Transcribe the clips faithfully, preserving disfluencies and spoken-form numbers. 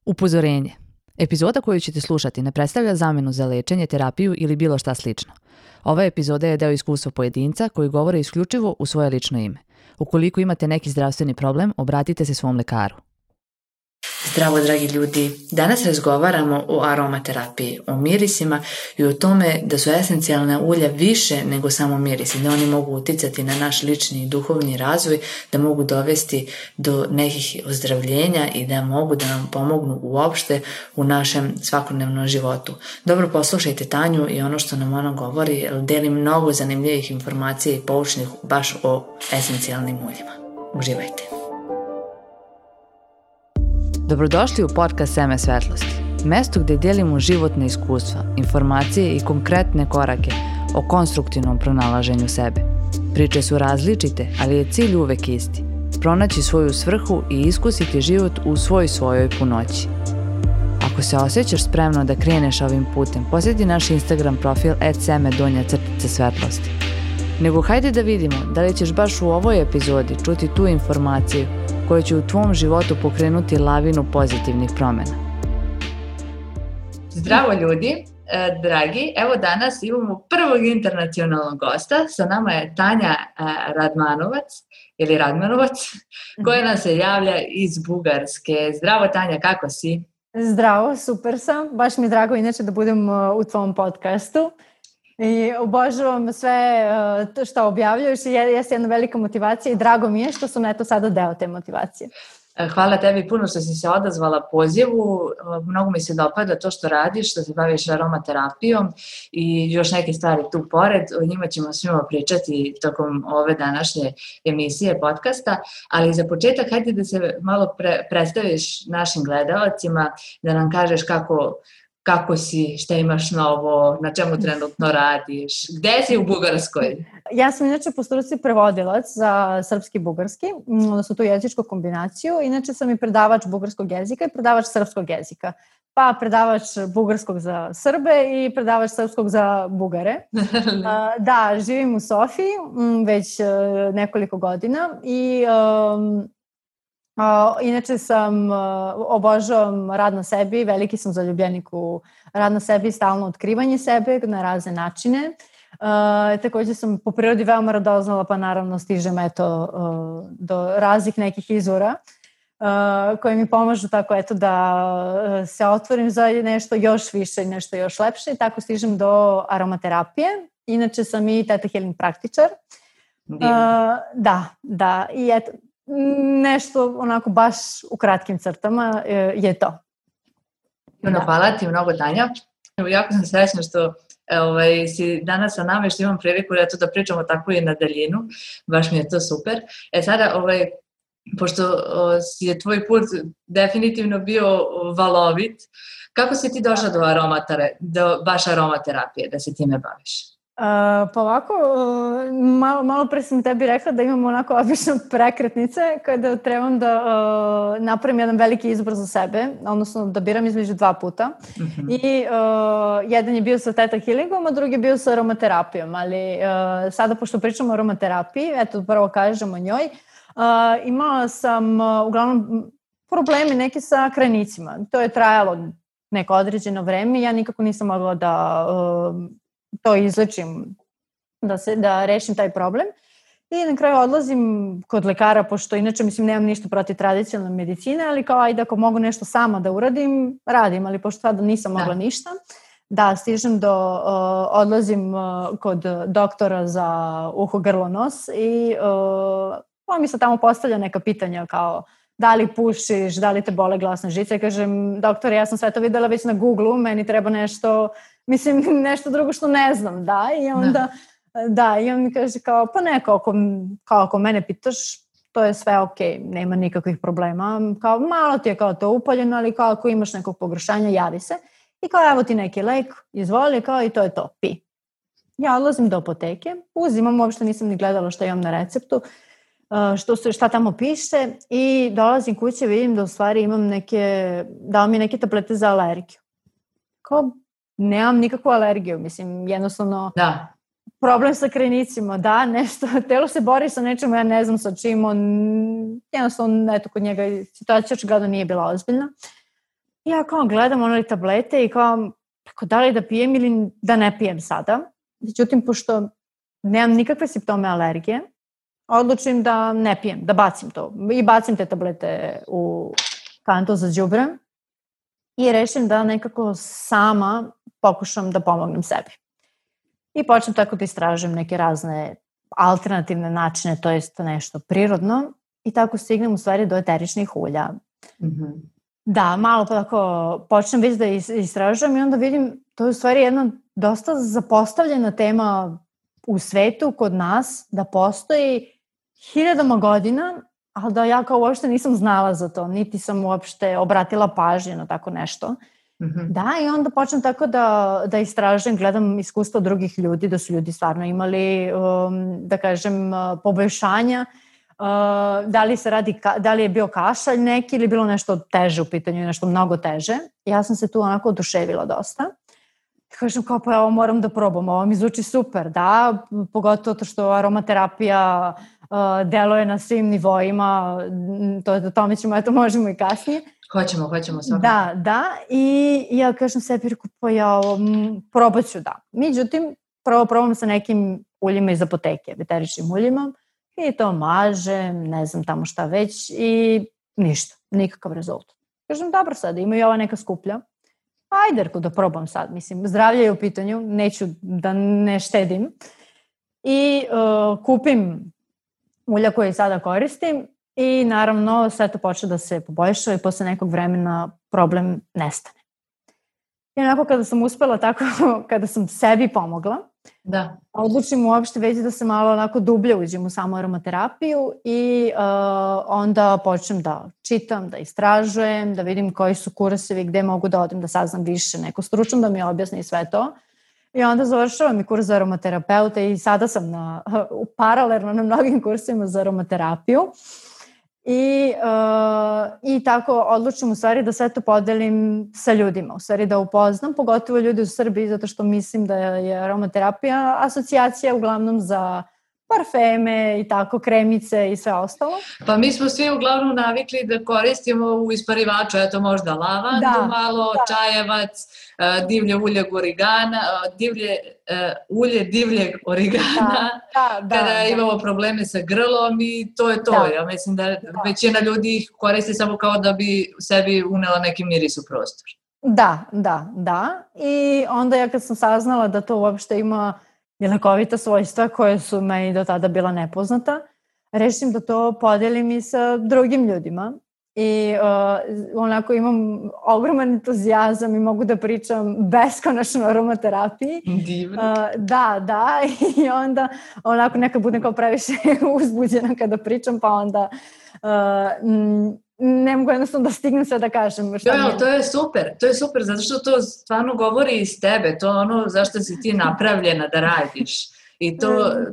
Upozorenje. Epizoda koju ćete slušati ne predstavlja zamenu za lečenje, terapiju ili bilo šta slično. Ova epizoda je deo iskustva pojedinca koji govore isključivo u svoje lično ime. Ukoliko imate neki zdravstveni problem, obratite se svom lekaru. Zdravo, dragi ljudi. Danas razgovaramo o aromaterapiji, o mirisima i o tome da su esencijalna ulja više nego samo mirisi, da oni mogu uticati na naš lični i duhovni razvoj, da mogu dovesti do nekih ozdravljenja i da mogu da nam pomognu uopšte u našem svakodnevnom životu. Dobro poslušajte Tanju i ono što nam ona govori, jer deli mnogo zanimljivih informacija i poučnih baš o esencijalnim uljima. Uživajte! Dobrodošli u podcast Seme svetlosti, mesto gde delimo životne iskustva, informacije i konkretne korake o konstruktivnom pronalaženju sebe. Priče su različite, ali je cilj uvek isti. Pronaći svoju svrhu i iskusiti život u svoj svojoj punoći. Ako se osjećaš spremno da kreneš ovim putem, posjeti naš Instagram profil et seme donja crtica svetlosti. Nego hajde da vidimo da li ćeš baš u ovoj epizodi čuti tu informaciju koja će u tvom životu pokrenuti lavinu pozitivnih promjena. Zdravo ljudi, dragi, evo danas imamo prvog internacionalnog gosta, sa nama je Tanja Radmanovac, ili Radmanovac, koja nam se javlja iz Bugarske. Zdravo Tanja, kako si? Zdravo, super sam, baš mi je drago inače da budem u tvom podcastu. I obožavam sve to što objavljuješ i jeste jedna velika motivacija i drago mi je što sam eto sada deo te motivacije. Hvala tebi puno što si se odazvala pozivu, mnogo mi se dopada to što radiš, što se baviš aromaterapijom i još neke stvari tu pored, o njima ćemo svima pričati tokom ove današnje emisije podcasta, ali za početak hajde da se malo pre, predstaviš našim gledalcima, da nam kažeš kako Kako si, šta imaš novo, na čemu trenutno radiš, gde si u Bugarskoj? Ja sam inače po struci prevodilac za srpski i bugarski, odnosno tu jezičku kombinaciju. Inače sam i predavač bugarskog jezika i predavač srpskog jezika. Pa predavač bugarskog za Srbe i predavač srpskog za Bugare. Da, živim u Sofiji već nekoliko godina i... Um, Uh, inače sam, uh, obožavam rad na sebi, veliki sam zaljubljenik u rad na sebi i stalno otkrivanje sebe na razne načine. Uh, također sam po prirodi veoma radoznala, pa naravno stižem eto, uh, do raznih nekih izvora uh, koji mi pomažu tako eto da se otvorim za nešto još više i nešto još lepše i tako stižem do aromaterapije. Inače sam i Theta Healing praktičar. Uh, da, da, i eto, nešto onako baš u kratkim crtama je to. Da. Hvala ti mnogo, Tanja. Jako sam srećna što ovaj, si danas sa nama i što imam priliku da pričamo tako i na daljinu. Baš mi je to super. E sada, ovaj, pošto o, je tvoj put definitivno bio valovit, kako si ti došla do aromatare, do baš aromaterapije, da se time baviš? Uh, pa ovako, uh, malo, malo pre sam tebi rekla da imam onako obično prekretnice kada trebam da uh, napravim jedan veliki izbor za sebe, odnosno da biram između dva puta. Mm-hmm. I uh, jedan je bio sa Theta Healingom, a drugi je bio sa aromaterapijom, ali uh, sada pošto pričamo o aromaterapiji, eto prvo kažem o njoj, uh, imala sam uh, uglavnom problemi neki sa krenicima. To je trajalo neko određeno vreme, ja nikako nisam mogla da... Uh, to izlečim, da, se, da rešim taj problem. I na kraju odlazim kod lekara, pošto inače mislim nemam ništa protiv tradicionalne medicine, ali kao ajde ako mogu nešto sama da uradim, radim, ali pošto tada nisam mogla da. ništa. Da, stižem do, uh, odlazim uh, kod doktora za uho, grlo, nos i uh, on mi se tamo postavlja neka pitanja kao da li pušiš, da li te bole glasne žice. Kažem, doktore, ja sam sve to videla već na Google-u, meni treba nešto, mislim, nešto drugo što ne znam, da, i onda, da, da i on mi kaže kao, pa ne, kao ako, kao ako mene pitaš, to je sve ok, nema nikakvih problema, kao malo ti je kao to upaljeno, ali kao ako imaš nekog pogoršanja, javi se, i kao evo ti neki lek, izvoli, kao i to je to, pi. Ja odlazim do apoteke, uzimam, uopšte nisam ni gledala što imam na receptu, Što se, šta tamo piše i dolazim kuće, vidim da u stvari imam neke, dao mi neke tablete za alergiju. Kao, nemam nikakvu alergiju, mislim, jednostavno da. Problem sa krenicima, da, nešto, telo se bori sa nečemu, ja ne znam sa čim, on, jednostavno, eto, kod njega situacija očigledno nije bila ozbiljna. I ja kao gledam one tablete i kao, tako da li da pijem ili da ne pijem sada. Međutim, pošto nemam nikakve simptome alergije, odlučim da ne pijem, da bacim to. I bacim te tablete u kantu za đubre i rešim da nekako sama pokušam da pomognem sebi. I počnem tako da istražujem neke razne alternativne načine, to jest nešto prirodno, i tako stignem u stvari do eteričnih ulja. Mm-hmm. Da, malo pa tako počnem već da istražujem i onda vidim, to je u stvari jedna dosta zapostavljena tema u svetu, kod nas, da postoji hiljadama godina, ali da ja kao uopšte nisam znala za to, niti sam uopšte obratila pažnju na tako nešto. Mm-hmm. Da, i onda počnem tako da, da istražujem, gledam iskustva drugih ljudi, da su ljudi stvarno imali, um, da kažem, poboljšanja. Uh, da li se radi, da li je bio kašalj neki ili bilo nešto teže u pitanju, nešto mnogo teže. Ja sam se tu onako oduševila dosta. Kažem kao, pa ovo moram da probam, ovo mi zvuči super, da, pogotovo to što aromaterapija uh, deluje na svim nivoima, to je do tome ćemo, eto možemo i kasnije. Hoćemo, hoćemo svakako. Da, da, i ja kažem sebi, reku, pa ja ovo, probat ću da. Međutim, prvo probam sa nekim uljima iz apoteke, eteričnim uljima, i to mažem, ne znam tamo šta već, i ništa, nikakav rezultat. Kažem, dobro sad, ima i ova neka skuplja. Ajde, reko, da probam sad, mislim, zdravlje je u pitanju, neću da ne štedim. I uh, kupim ulja koje sada koristim i naravno sve to počne da se poboljša i posle nekog vremena problem nestane. I onako kada sam uspela tako, kada sam sebi pomogla, da. Odlučim uopšte već da se malo onako dublje uđem u samu aromaterapiju i uh, onda počnem da čitam, da istražujem, da vidim koji su kursevi, gde mogu da odem da saznam više, neko stručno da mi objasni sve to. I onda završavam i kurs za aromaterapeuta i sada sam na, uh, paralelno na mnogim kursima za aromaterapiju. I, uh, i tako odlučim u stvari da sve to podelim sa ljudima, u stvari da upoznam, pogotovo ljudi u Srbiji, zato što mislim da je aromaterapija asocijacija uglavnom za parfeme i tako, kremice i sve ostalo. Pa mi smo svi uglavnom navikli da koristimo u isparivaču, eto možda lavandu, da, malo, da. Čajevac, divlje ulje origana, divlje, uh, ulje divljeg origana, da, da, da, kada da. Imamo probleme sa grlom i to je to. Da. Ja mislim da, da većina ljudi ih koristi samo kao da bi sebi unela neki miris u prostor. Da, da, da. I onda ja kad sam saznala da to uopšte ima i lekovita svojstva koje su meni do tada bila nepoznata, rešim da to podelim i sa drugim ljudima. I uh, onako imam ogroman entuzijazam i mogu da pričam beskonačno o aromaterapiji. Divno. Uh, da, da. I onda onako nekad budem kao previše uzbuđena kada pričam, pa onda uh, m, ne mogu jednostavno da stignem sve da kažem. Šta jo, to je super, to je super, zato što to stvarno govori iz tebe, to je ono zašto si ti napravljena da radiš. I to,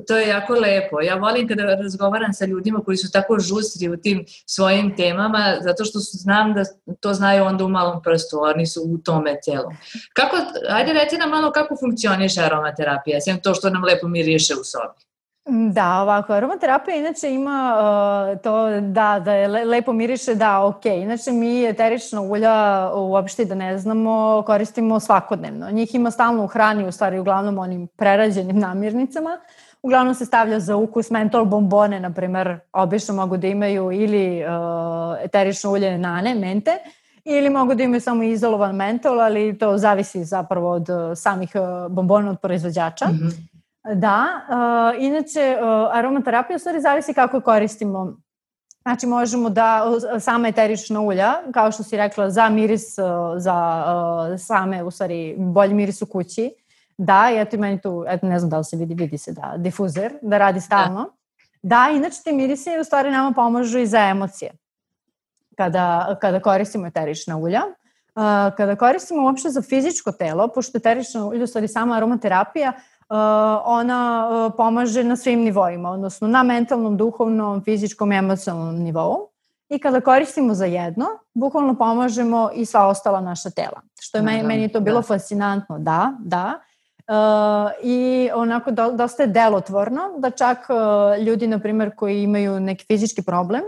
to je jako lepo. Ja volim kada razgovaram sa ljudima koji su tako žustri u tim svojim temama, zato što znam da to znaju onda u malom prstu, oni su u tome celom. Kako, ajde reci nam malo kako funkcioniše aromaterapija, sem to što nam lepo miriše u sobi. Da, ovako, aromaterapija inače ima uh, to da, da je lepo miriše, da, ok. Inače mi eterična ulja uopšte da ne znamo, koristimo svakodnevno. Njih ima stalno u hrani, u stvari uglavnom onim prerađenim namirnicama. Uglavnom se stavlja za ukus mentol bombone, na primer, obično mogu da imaju ili uh, eterično ulje nane, mente, ili mogu da imaju samo izolovan mentol, ali to zavisi zapravo od samih uh, bombona od proizvođača. Mm-hmm. Da, uh, inače uh, aromaterapija u stvari zavisi kako koristimo. Znači možemo da sama eterična ulja, kao što si rekla, za miris, uh, za uh, same u stvari bolji miris u kući. Da, i eto i meni tu, eto ne znam da li se vidi, vidi se da difuzer, da radi stalno. Da, inače ti mirisi u stvari nama pomažu i za emocije kada, kada koristimo eterična ulja. Uh, kada koristimo uopšte za fizičko telo, pošto eterična ulja u stvari sama aromaterapija, Uh, ona uh, pomaže na svim nivoima, odnosno na mentalnom, duhovnom, fizičkom i emocionalnom nivou. I kada koristimo za jedno, bukvalno pomažemo i sva ostala naša tela. Što je meni, meni je to bilo da. fascinantno, da, da. Uh, I onako do, dosta je delotvorno, da čak uh, ljudi, na primjer, koji imaju neki fizički problem,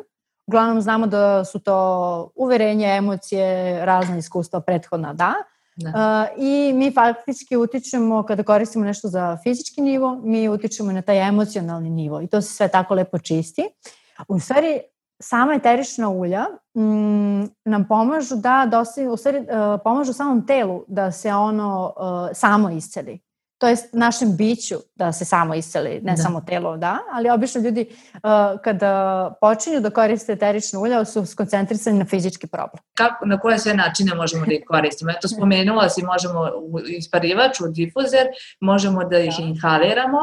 uglavnom znamo da su to uverenje, emocije, razna iskustva prethodna, da. Da. Uh, I mi faktički utičemo, kada koristimo nešto za fizički nivo, mi utičemo na taj emocionalni nivo i to se sve tako lepo čisti. U stvari, sama eterična ulja mm, nam pomažu da dosti, u stvari, uh, pomažu samom telu da se ono uh, samo isceli. To je našem biću da se samo isceli, ne da. Samo telo, da, ali obično ljudi uh, kada počinju da koriste eterična ulja su skoncentrisani na fizički problem. Kako, na koje sve načine možemo da ih koristimo? Eto, spomenula si, možemo u isparivač, u difuzer, možemo da ih da. Inhaliramo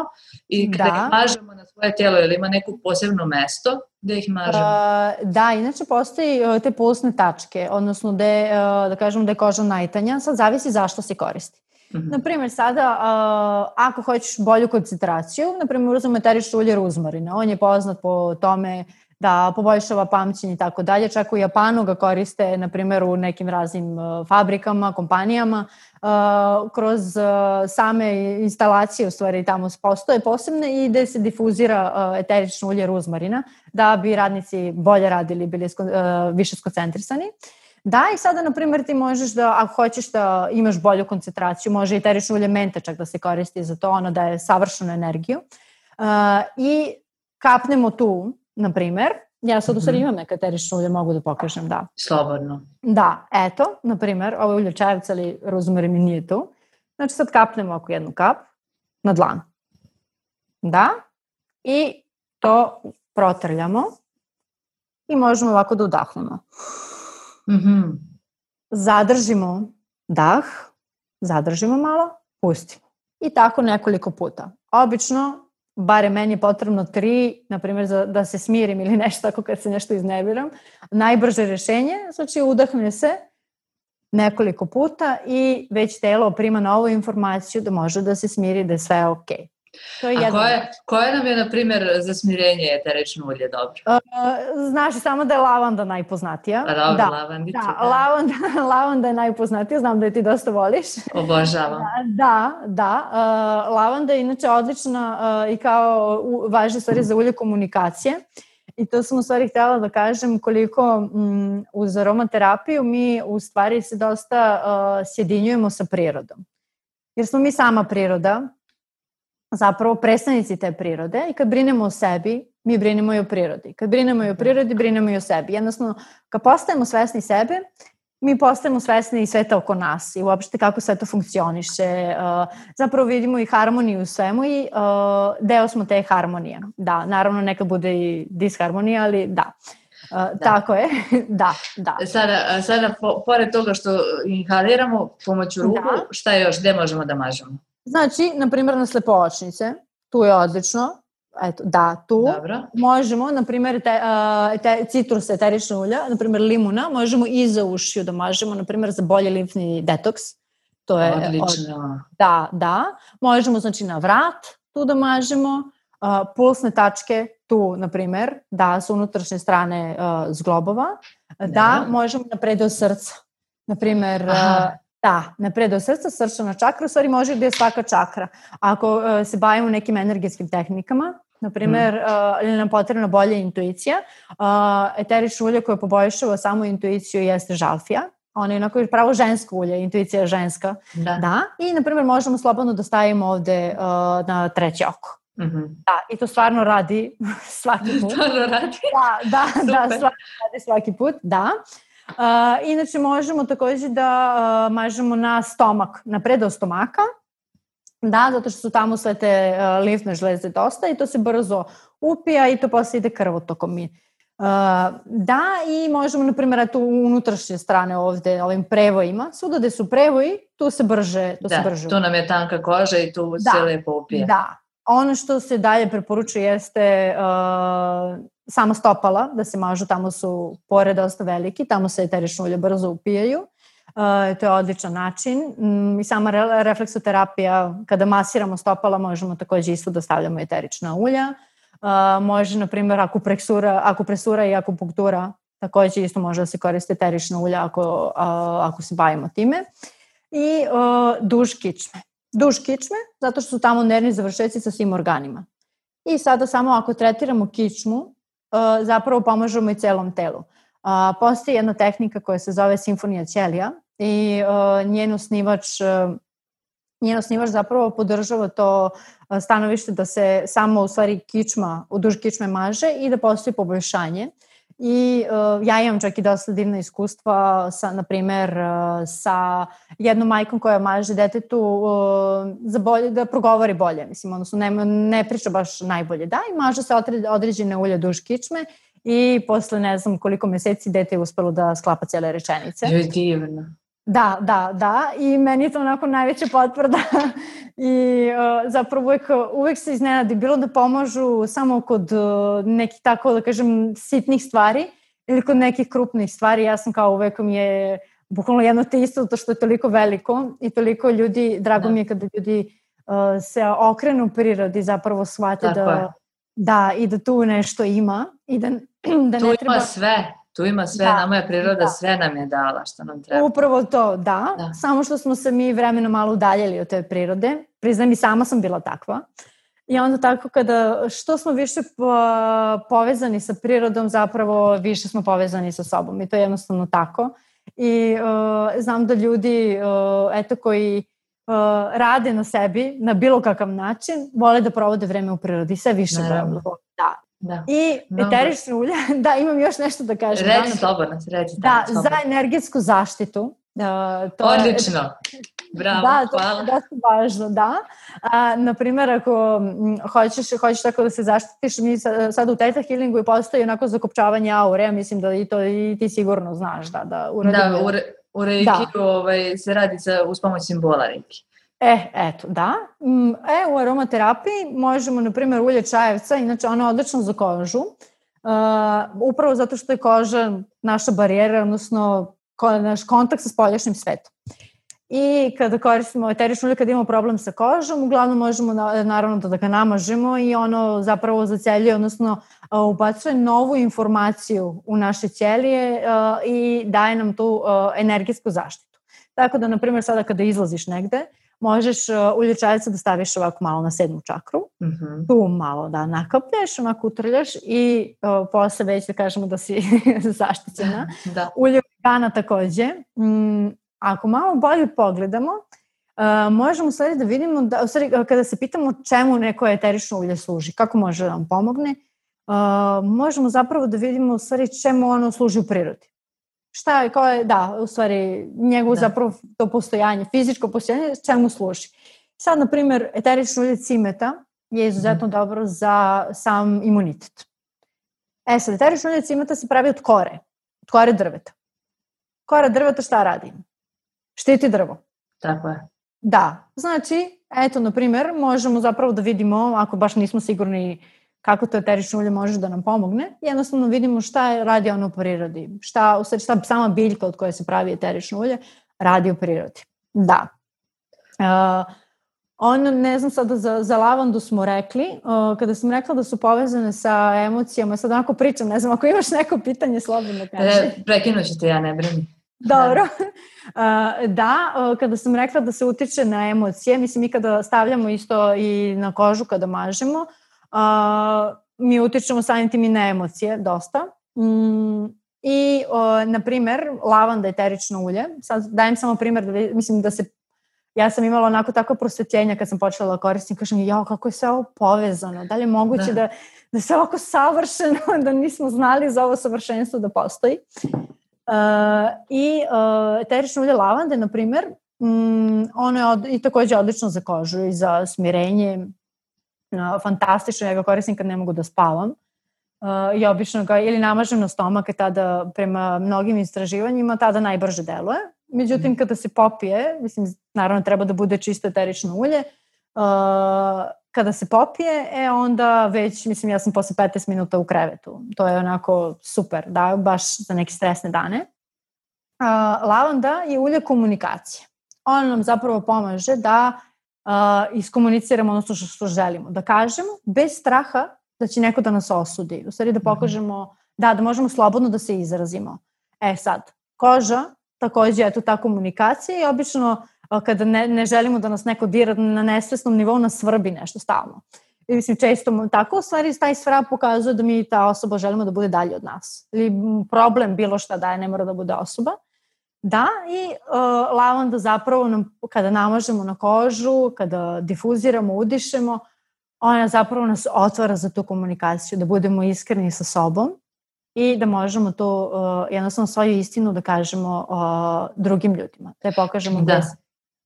i kada da. Ih mažemo na svoje telo, ili ima neko posebno mesto da ih mažemo? Uh, da, inače postoji uh, te pulsne tačke, odnosno da, uh, da kažemo da je koža najtanja, sad zavisi zašto se koristi. Mm-hmm. Naprimjer, sada, uh, ako hoćeš bolju koncentraciju, naprimjer, uzmemo eterično ulje ruzmarina. On je poznat po tome da poboljšava pamćenje i tako dalje. Čak u Japanu ga koriste, naprimjer, u nekim raznim uh, fabrikama, kompanijama. Uh, kroz uh, same instalacije, u stvari, tamo postoje posebne i gde se difuzira uh, eterično ulje ruzmarina da bi radnici bolje radili, bili uh, više skoncentrisani. Da, i sada, na primjer, ti možeš da, ako hoćeš da imaš bolju koncentraciju, može i eterično ulje mente čak da se koristi za to, ono daje savršenu energiju. Uh, I kapnemo tu, na primjer, ja sad u stvari imam neka eterično ulje, mogu da pokažem, da. Slobodno. Da, eto, na primjer, ovo je ulje čajevca, ali rozmarin mi nije tu. Znači sad kapnemo oko jednu kap na dlan. Da, i to protrljamo i možemo ovako da udahnemo. Mm-hmm. Zadržimo dah, zadržimo malo, pustimo. I tako nekoliko puta. Obično, bare meni je potrebno tri, na primjer, za, da se smirim ili nešto tako kad se nešto iznerviram. Najbrže rješenje, znači udahne se nekoliko puta i već telo prima novu informaciju da može da se smiri, da je sve ok. To je A koje, koje nam je, na primjer, za smirenje eterično ulje dobro? Uh, znaš samo da je lavanda najpoznatija. A dobro, da, lavandica. Da, da. Lavanda, lavanda je najpoznatija, znam da je ti dosta voliš. Obožavam. Da, da. Uh, lavanda je inače odlična uh, i kao u, važna stvari za ulje komunikacije. I to sam u stvari htjela da kažem koliko um, uz aromaterapiju mi u stvari se dosta uh, sjedinjujemo sa prirodom. Jer smo mi sama priroda, zapravo predstavnici te prirode i kad brinemo o sebi, mi brinemo i o prirodi. Kad brinemo i o prirodi, brinemo i o sebi. Jednostavno, kad postajemo svesni sebe, mi postajemo svesni i sveta oko nas i uopšte kako sve to funkcioniše. Zapravo vidimo i harmoniju u svemu i deo smo te harmonije. Da, naravno nekad bude i disharmonija, ali da. Da. Tako je, da, da. Sada, sada po, pored toga što inhaliramo pomoću ruku, da. Šta još, gde možemo da mažemo? Znači, na primjer, na slepovačnice, tu je odlično, eto, da, tu. Dobro. Možemo, na primjer, te, te, citrus eterična ulja, na primjer, limuna, možemo i za ušiju da mažemo, na primjer, za bolji limfni detoks. To je odlično. Od, da, da. Možemo, znači, na vrat tu da mažemo, uh, pulsne tačke tu, na primjer, da, su unutrašnje strane uh, zglobova, da, da možemo na predeo srca, na primjer, uh, da, na predeo srca, srčana čakra, u stvari može da je svaka čakra. Ako uh, se bavimo nekim energetskim tehnikama, na primjer, mm. uh, ili nam potrebna bolja intuicija, uh, eterično ulje koje poboljšava samo intuiciju jeste žalfija. Ona je onako pravo žensko ulje, intuicija je ženska. Da. Da. I, na primjer, možemo slobodno da stavimo ovde uh, na treće oko. Mm-hmm. Da, i to stvarno radi svaki put. Stvarno radi? Da, da, da, stvarno radi svaki put, da. Uh, inače možemo također da uh, mažemo na stomak, na predeo stomaka, da, zato što su tamo sve te uh, limfne žleze dosta i to se brzo upija i to posle ide krvotokom mi. Uh, da, i možemo, na primjer, tu unutrašnje strane ovde, ovim prevojima, svuda gde su prevoji, tu se brže, tu da, se brže. Tu nam je tanka koža i tu da, se lepo upije. Da, ono što se dalje preporučuje jeste uh, sama stopala, da se mažu, tamo su pore dosta veliki, tamo se eterično ulje brzo upijaju. Uh, to je odličan način. Mm, I sama re- refleksoterapija, kada masiramo stopala, možemo također isto da stavljamo eterična ulja. Uh, može, na primjer, akupresura, akupresura i akupunktura, također isto može da se koriste eterična ulja ako, uh, ako se bavimo time. I uh, duš kičme. Duš kičme, zato što su tamo nervni završeci sa svim organima. I sada samo ako tretiramo kičmu, zapravo pomažemo i celom telu. Postoji jedna tehnika koja se zove simfonija ćelija i njen osnivač, njen osnivač zapravo podržava to stanovište da se samo u stvari kičma, u duž kičme maže i da postoji poboljšanje. I uh, ja imam čak i dosta divna iskustva sa, na primer, uh, sa jednom majkom koja maže detetu uh, za bolje, da progovori bolje, mislim, odnosno ne, ne priča baš najbolje, da, i maže se određene ulje duž kičme i posle ne znam koliko meseci dete je uspelo da sklapa cijele rečenice. Je divno. Da, da, da, i meni je to onako najveća potvrda i uh, zapravo uvek, uvek se iznenadi, bilo da pomažu samo kod uh, nekih tako da kažem sitnih stvari ili kod nekih krupnih stvari. Ja sam kao uvek mi je bukvalno jedno te isto to što je toliko veliko i toliko ljudi, drago da. mi je kada ljudi uh, se okrenu prirodi, zapravo shvate da, da i da tu nešto ima i da, da tu ne treba... ima sve. Tu ima sve, da, nama je priroda, da. sve nam je dala što nam treba. Upravo to, da. da. Samo što smo se mi vremeno malo udaljili od te prirode. Priznam, i sama sam bila takva. I onda tako kada, što smo više povezani sa prirodom, zapravo više smo povezani sa sobom. I to je jednostavno tako. I uh, znam da ljudi, uh, eto, koji uh, rade na sebi na bilo kakav način, vole da provode vreme u prirodi. Sve više. Naravno. Da. Da. I eterične ulje, da, imam još nešto da kažem. Reći slobodno, reći. Da, slobodno. Za energetsku zaštitu. Uh, to Odlično. Je, bravo, da, hvala. Da, to je dosta važno, da. Uh, naprimjer, ako hoćeš, hoćeš tako da se zaštitiš, mi sad u Theta Healingu i postoji onako zakopčavanje aure, mislim da i to i ti sigurno znaš. Da, da, da u, re, u Reiki ovaj, se radi sa, uz pomoć simbola Reiki. E, eto, da. E, u aromaterapiji možemo, na primjer, ulje čajevca, inače ono je odlično za kožu, uh, upravo zato što je koža naša barijera, odnosno ko, naš kontakt sa spoljašnjim svetom. I kada koristimo eterično ulje, kada imamo problem sa kožom, uglavnom možemo na, naravno da ga namažemo i ono zapravo zaceljuje, odnosno uh, ubacuje novu informaciju u naše ćelije uh, i daje nam tu uh, energetsku zaštitu. Tako da, na primjer, sada kada izlaziš negde, možeš uh, ulje čajevca da staviš ovako malo na sedmu čakru, mm-hmm. tu malo da nakaplješ, onako utrljaš i uh, posle već da kažemo da si zaštićena. Da. Ulje organa takođe. Mm, ako malo bolje pogledamo, uh, možemo sad da vidimo, da, u stvari, kada se pitamo čemu neko eterično ulje služi, kako može da nam pomogne, uh, možemo zapravo da vidimo u stvari čemu ono služi u prirodi. Šta je, kao je, da, u stvari, njegovo da. zapravo to postojanje, fizičko postojanje, čemu služi. Sad, na primjer, eterično ulje cimeta je izuzetno mm. dobro za sam imunitet. E sad, eterično ulje cimeta se pravi od kore, od kore drveta. Kora drveta šta radi? Štiti drvo. Tako je. Da, znači, eto, na primjer, možemo zapravo da vidimo, ako baš nismo sigurni kako to eterično ulje može da nam pomogne, jednostavno vidimo šta radi ono u prirodi, šta, šta sama biljka od koje se pravi eterično ulje radi u prirodi. Da. Uh, ono, ne znam sada, za, za lavandu smo rekli, uh, kada sam rekla da su povezane sa emocijama, sad onako pričam, ne znam, ako imaš neko pitanje, slobodno kaži. E, prekinut ću te, ja ne brini. Dobro. Uh, da, uh, kada sam rekla da se utiče na emocije, mislim, mi kada stavljamo isto i na kožu kada mažemo, Uh, mi utičemo samim tim i na emocije dosta. Mm, I, uh, na primer, lavanda, eterično ulje. Sad dajem samo primer, da mislim da se, ja sam imala onako tako prosvetljenja kad sam počela da koristim, kažem, jao, kako je sve ovo povezano, da li je moguće da, da, da sve ovako savršeno, da nismo znali za ovo savršenstvo da postoji. Uh, I uh, eterično ulje lavande, na primer, mm, ono je od, i takođe odlično za kožu i za smirenje. Uh, fantastično, ja ga koristim kad ne mogu da spavam. Uh, I obično ga ili namažem na stomak, tada prema mnogim istraživanjima tada najbrže deluje. Međutim, mm. kada se popije, mislim, naravno treba da bude čisto eterično ulje, uh, kada se popije, e onda već, mislim, ja sam posle petnaest minuta u krevetu. To je onako super, da, baš za neke stresne dane. Uh, lavanda je ulje komunikacije. Ono nam zapravo pomaže da Uh, iskomuniciramo ono što, što želimo. Da kažemo, bez straha da će neko da nas osudi. U stvari da pokažemo, da, da možemo slobodno da se izrazimo. E sad, koža, takođe je tu ta komunikacija i obično uh, kada ne, ne želimo da nas neko dira na nesvesnom nivou, nas svrbi nešto stalno. mislim, često tako, u stvari taj svrab pokazuje da mi ta osoba želimo da bude dalje od nas. Ili problem bilo šta daje, ne mora da bude osoba. Da, i uh, lavanda zapravo nam, kada namažemo na kožu, kada difuziramo, udišemo, ona zapravo nas otvara za tu komunikaciju, da budemo iskreni sa sobom i da možemo to uh, jednostavno svoju istinu da kažemo uh, drugim ljudima. Da je pokažemo da. Bez...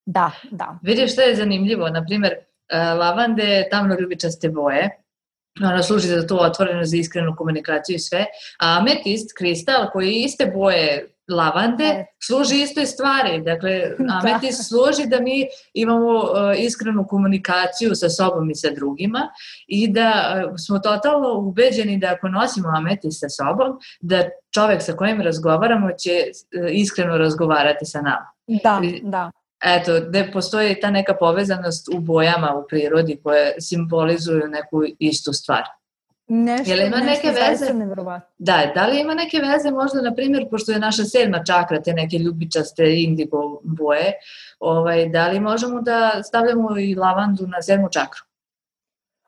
Da, da. Vidiš što je zanimljivo, na primjer, lavande je tamno ljubičaste boje, ona služi za tu otvorenost, za iskrenu komunikaciju i sve, a ametist, kristal koji je iste boje lavande, e. služi istoj stvari. Dakle, ametist služi da mi imamo uh, iskrenu komunikaciju sa sobom i sa drugima i da uh, smo totalno ubeđeni da ako nosimo ametist sa sobom, da čovek sa kojim razgovaramo će uh, iskreno razgovarati sa nama. Da, da. Eto, gde postoji ta neka povezanost u bojama u prirodi koje simbolizuju neku istu stvar. Nešto, Jel ima nešto neke veze? Da, da li ima neke veze možda, na primjer, pošto je naša sedma čakra, te neke ljubičaste indigo boje, ovaj, da li možemo da stavljamo i lavandu na sedmu čakru?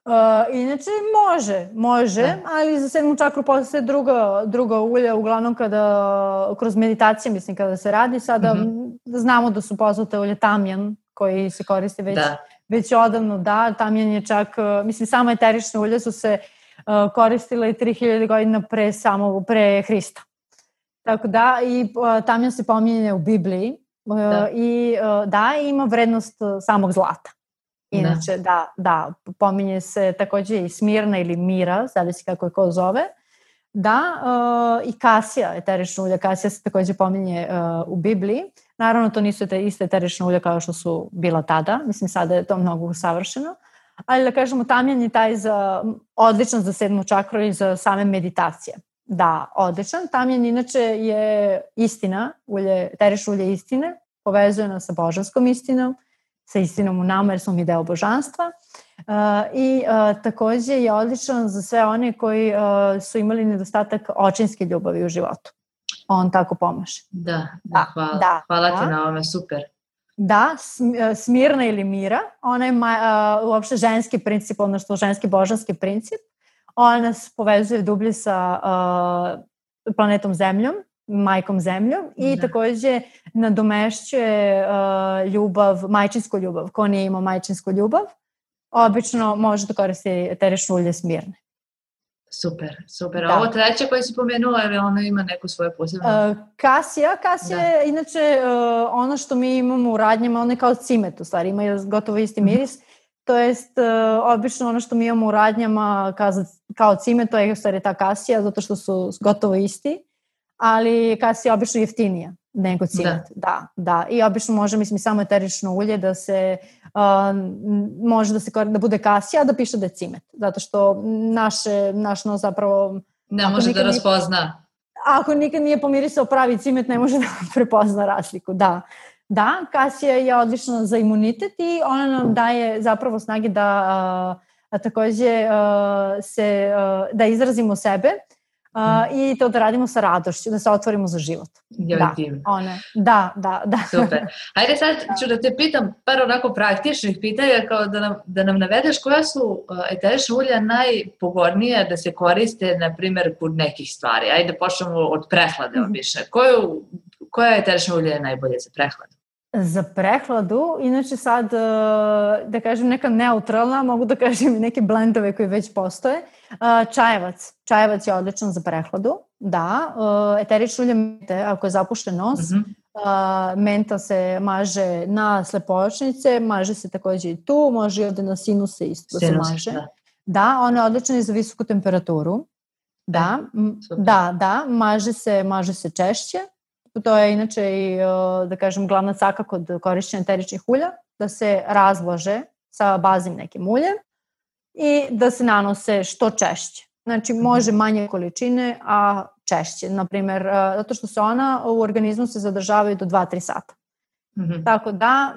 Uh, inače može, može, da. Ali za sedmu čakru postoje druga, druga ulja, uglavnom kada, kroz meditacije, mislim, kada se radi, sada mm-hmm. znamo da su poznate ulje tamjan, koji se koristi već, da. već odavno, da, tamjan je čak, mislim, samo eterične ulje su se uh, koristile i tri hiljade godina pre, samo, pre Hrista. Tako da, i uh, tamjan se pominje u Bibliji uh, da. i uh, da, ima vrednost samog zlata. Inače, da, da, pominje se takođe i smirna ili mira, zavisi kako je ko zove. Da, uh, i kasija, eterična ulja, kasija se takođe pominje uh, u Bibliji. Naravno, to nisu te iste eterične ulja kao što su bila tada, mislim sada je to mnogo savršeno. Ali da kažemo, tamjan je taj za, odličan za sedmu čakru i za same meditacije. Da, odličan. Tamjan inače je istina, ulje, eterična ulje istine, povezuje nas sa božanskom istinom, sa istinom u nama jer smo mi deo božanstva uh, i uh, takođe je odličan za sve one koji uh, su imali nedostatak očinske ljubavi u životu. On tako pomaže. Da, da, hvala. Da, hvala da. Ti na ovome, super. Da, smirna ili mira, ona je uh, uopšte ženski princip, odnosno ženski božanski princip. Ona nas povezuje dublje sa uh, planetom Zemljom, majkom Zemljom i da. Takođe nadomešćuje uh, ljubav, majčinsku ljubav. Ko nije imao majčinsku ljubav, obično može da koristi eterične ulje smirne. Super, super. A ovo treće koje si pomenula, ali ona ima neku svoju posebnu? Uh, kasija, kasija da. Je inače uh, ono što mi imamo u radnjama, ono je kao cimet u stvari, ima gotovo isti miris. Mm. To jest, uh, obično ono što mi imamo u radnjama kao, kao cimet, to je u stvari ta kasija, zato što su gotovo isti. Ali kasija je obično jeftinija nego cimet. Da. da, da. I obično može, mislim, samo eterično ulje da se, uh, može da se da bude kasija, a da piše da je cimet. Zato što naše, naš nos zapravo... Ne može da raspozna. Nije, ako nikad nije pomirisao pravi cimet, ne može da prepozna razliku. Da, da, kasija je odlična za imunitet i ona nam daje zapravo snage da uh, takođe uh, se, uh, da izrazimo sebe. Uh, i to da radimo sa radošću, da se otvorimo za život. Da, one, da, da, da. Super. Hajde sad ću da te pitam par onako praktičnih pitanja, kao da nam, da nam navedeš koja su eterična ulja najpogodnija da se koriste, na primjer, kod nekih stvari. Ajde počnemo od prehlade obično. Koju, koja eterična ulja je najbolje za prehladu? Za prehladu, inače sad, da kažem neka neutralna, mogu da kažem neke blendove koji već postoje. Čajevac. Čajevac je odličan za prehladu, da. Eterična ulja mente, ako je zapušten nos, mm-hmm. menta se maže na slepočnice, maže se takođe i tu, može i ovde na sinuse isto da se maže. Da, da, ona je odlična i za visoku temperaturu. Da, e, da, da, maže se, maže se češće. To je inače i, da kažem, glavna caka kod korišćenja eteričnih ulja, da se razlože sa baznim nekim uljem i da se nanose što češće. Znači, može manje količine, a češće. Naprimer, zato što se ona u organizmu se zadržavaju do dva do tri sata. Mm-hmm. Tako da,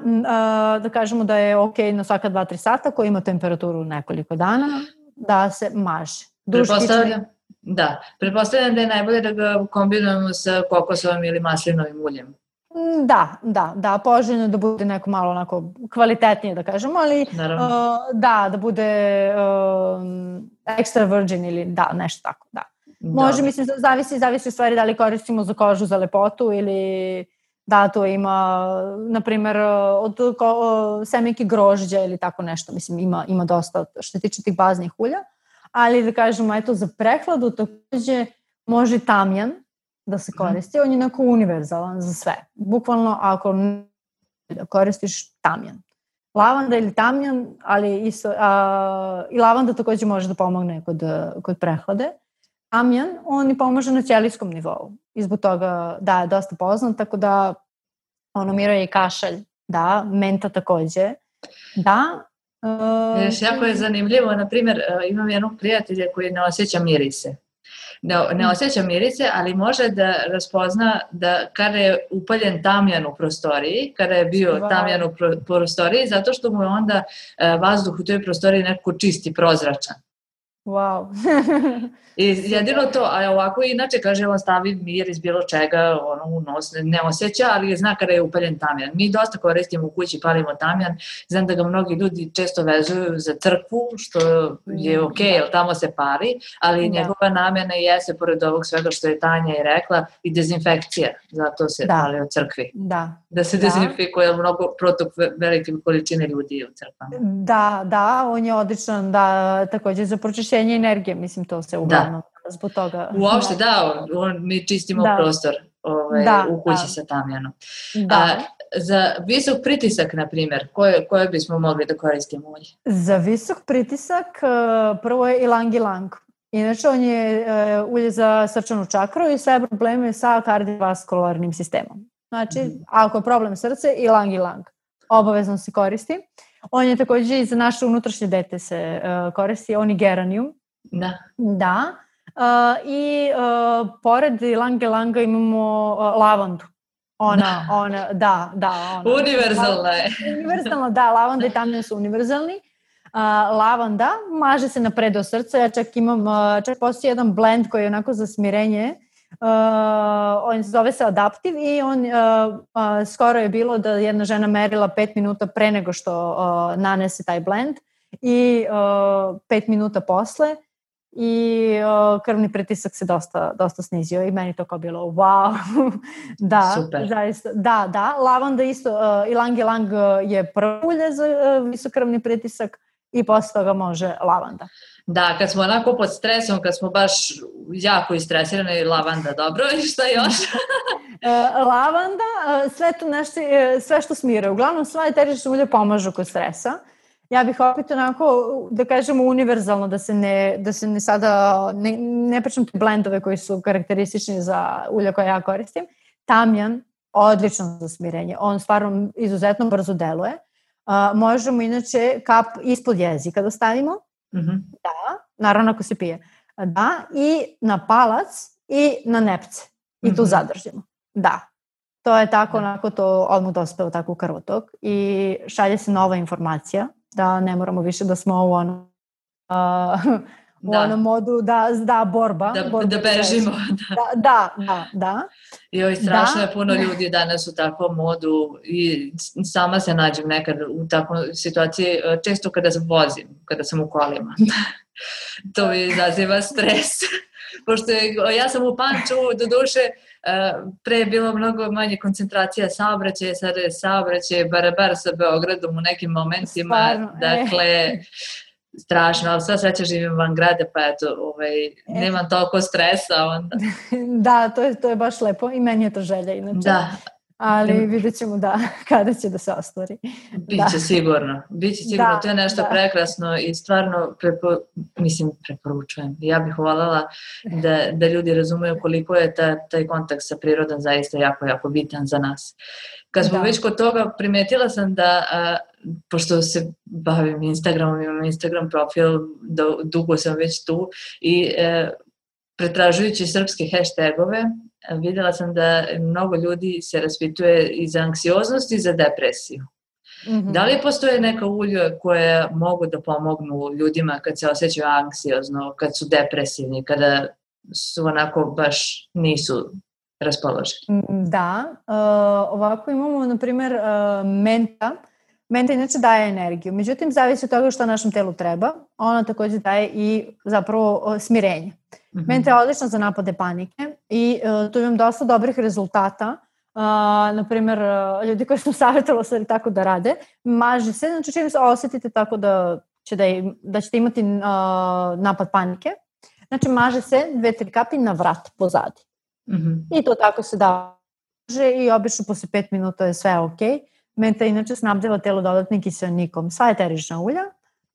da kažemo da je ok na svaka dva do tri sata, koji ima temperaturu nekoliko dana, da se maže. Pretpostavljam, da, pretpostavljam da je najbolje da ga kombinujemo sa kokosovim ili maslinovim uljem. Da, da, da, poželjno da bude neko malo onako kvalitetnije, da kažemo, ali uh, da, da bude uh, extra virgin ili da, nešto tako, da. Može, Dobre. mislim, zavisi, zavisi u stvari da li koristimo za kožu za lepotu ili da to ima, na primjer, od ko, semenke grožđa ili tako nešto, mislim, ima, ima dosta što se tiče tih baznih ulja, ali da kažemo, eto, za prehladu takođe može tamjan da se koristi, on je onako univerzalan za sve. Bukvalno ako koristiš tamjan. Lavanda ili tamjan, ali isto, a, i lavanda takođe može da pomogne kod, kod prehlade. Tamjan, on i pomaže na ćelijskom nivou. I zbog toga, da, je dosta poznat, tako da ono mira i kašalj, da, menta takođe, da. Uh, Još jako je zanimljivo, na primjer, imam jednog prijatelja koji ne osjeća mirise. Ne, ne osjeća mirise, ali može da raspozna da kada je upaljen tamjan u prostoriji, kada je bio wow. tamjan u pro, prostoriji, zato što mu je onda uh, vazduh u toj prostoriji nekako čisti, prozračan. Wow. I jedino to, a ovako inače kaže on stavi miris bilo čega ono, u nos, ne osjeća, ali zna kada je upaljen tamjan. Mi dosta koristimo u kući, palimo tamjan, znam da ga mnogi ljudi često vezuju za crkvu, što je ok, jer tamo se pali, ali da. njegova namjena jeste, pored ovog svega što je Tanja i rekla, i dezinfekcija, zato se da. pali u crkvi. Da. Da se dezinfikuje, jer mnogo protok velike količine ljudi u crkvama. Da, da, on je odličan, da, takođe za pročišćenje energije, mislim, to se uglavnom da. zbog toga. Uopšte, da, on, mi čistimo da. prostor ovaj, da, u kući da. sa tamjanom. Da. A, za visok pritisak, na primjer, koje, koje bismo mogli da koristimo ulje? Za visok pritisak prvo je ilang ilang. Inače, on je ulje za srčanu čakru i sve probleme sa kardiovaskularnim sistemom. Znači, mm-hmm. ako je problem srce, ilang ilang. Obavezno se koristi. On je također i za naše unutrašnje dete se uh, koristi, on je geranium. Da. Da. Uh, I uh, pored ilang ilanga imamo uh, lavandu. Ona, da. ona, da, da. Ona. Univerzalna je. Univerzalna, da, lavanda i tamjan su univerzalni. Uh, lavanda maže se na predeo srca, ja čak imam, uh, čak postoji jedan blend koji je onako za smirenje. Uh, on zove se Adaptiv i on uh, uh, skoro je bilo da jedna žena merila pet minuta pre nego što uh, nanese taj blend i uh, pet minuta posle i uh, krvni pritisak se dosta, dosta snizio i meni to kao bilo wow. Da, super. Zaista, da, da, lavanda isto, uh, ilang ilang je prvo ulje za uh, visok krvni pritisak i posle toga može lavanda. Da, kad smo onako pod stresom, kad smo baš jako istresirani, lavanda, dobro, i šta još? Lavanda, sve to nešto, sve što smire. Uglavnom, sva eterična ulja pomažu kod stresa. Ja bih opet onako, da kažemo, univerzalno, da se ne, da se ne sada, ne, ne pričam te blendove koji su karakteristični za ulja koje ja koristim. Tamjan, odlično za smirenje. On stvarno izuzetno brzo deluje. Uh, možemo inače kap ispod jezika da stavimo. Mm-hmm. Da, naravno ako se pije. Da, i na palac i na nepce. I tu mm-hmm. zadržimo. Da. To je tako, onako to odmah dospeo tako u krvotok i šalje se nova informacija da ne moramo više da smo u onom uh, u da. onom modu da, da borba. Da, borba da bežimo. Da, da, da. da. Joj, strašno da. je puno ljudi danas u takvom modu i sama se nađem nekad u takvoj situaciji, često kada se vozim, kada sam u kolima. To mi izaziva stres. Pošto je, ja sam u Pančevu, do duše, pre je bilo mnogo manje koncentracija saobraćaja, sada je saobraćaj barabar sa Beogradom u nekim momentima. Stvarno, dakle, e. strašno, ali sva sreća živim van grada, pa eto, ovaj, nemam toliko stresa onda. Da, to je, to je baš lepo i meni je to želja inače. Da. Ali vidjet ćemo da, kada će da se ostvari. Biće da. sigurno, biće sigurno, da, to je nešto da. prekrasno i stvarno, prepo, mislim, preporučujem. Ja bih voljela da, da ljudi razumeju koliko je ta, taj kontakt sa prirodom zaista jako, jako bitan za nas. Kad smo da. već kod toga, primetila sam da, a, pošto se bavim Instagramom, imam Instagram profil, da, dugo sam već tu i e, pretražujući srpske hashtagove, videla sam da mnogo ljudi se raspituje i za anksioznost i za depresiju. Mm-hmm. Da li postoje neka ulja koje mogu da pomognu ljudima kad se osjećaju anksiozno, kad su depresivni, kada su onako baš nisu raspoloženi. Da, uh, ovako imamo, na primjer, uh, menta. Menta inače daje energiju, međutim, zavisi od toga što našem telu treba. Ona također daje i zapravo uh, smirenje. Mm-hmm. Menta je odlična za napade panike i uh, tu imam dosta dobrih rezultata. Uh, na primjer, uh, ljudi koji su savjetovali tako da rade, maže se, znači čim se osjetite tako da, će da, im, da ćete imati uh, napad panike, znači maže se dve, tri kapi na vrat pozadi. Mm-hmm. I to tako se da i obično posle pet minuta je sve ok. Menta inače snabdeva telo dodatnim kiseonikom, sva eterična ulja,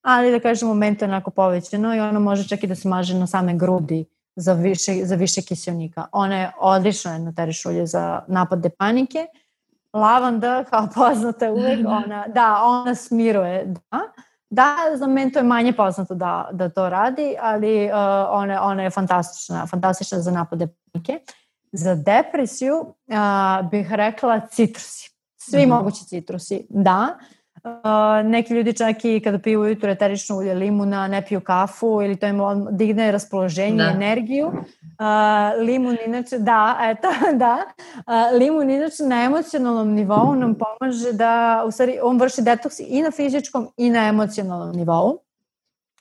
ali da kažemo menta je onako povećano i ono može čak i da se maže na same grudi za više, za više kiseonika. Ona je odlična jedna eterična ulje za napade panike. Lavanda, kao poznata uvek, ona, da, ona smiruje, da. Da, za mentu je manje poznato da, da to radi, ali uh, ona, ona je fantastična, fantastična za napade panike. Za depresiju uh, bih rekla citrusi. Svi mm-hmm. mogući citrusi, da. Uh, neki ljudi čak i kada piju ujutro eterično ulje limuna, ne piju kafu ili to im digne raspoloženje, da. Energiju. Uh, limun inače, da, eto, da. Uh, limun inače na emocionalnom nivou nam pomaže da, u stvari, on vrši detoks i na fizičkom i na emocionalnom nivou.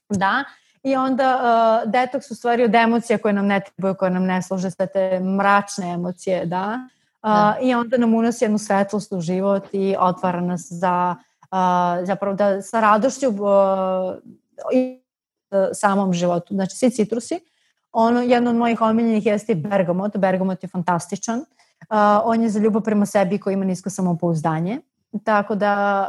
Da. I onda uh, detoks u stvari od emocija koje nam ne trebaju, koje nam ne služe, sve te mračne emocije, da. Uh, da. I onda nam unosi jednu svetlost u život i otvara nas za uh, zapravo da sa radošću uh, i uh, samom životu. Znači svi citrusi. Ono, jedno od mojih omiljenih jeste bergamot. Bergamot je fantastičan. Uh, on je za ljubav prema sebi koji ima nisko samopouzdanje. Tako da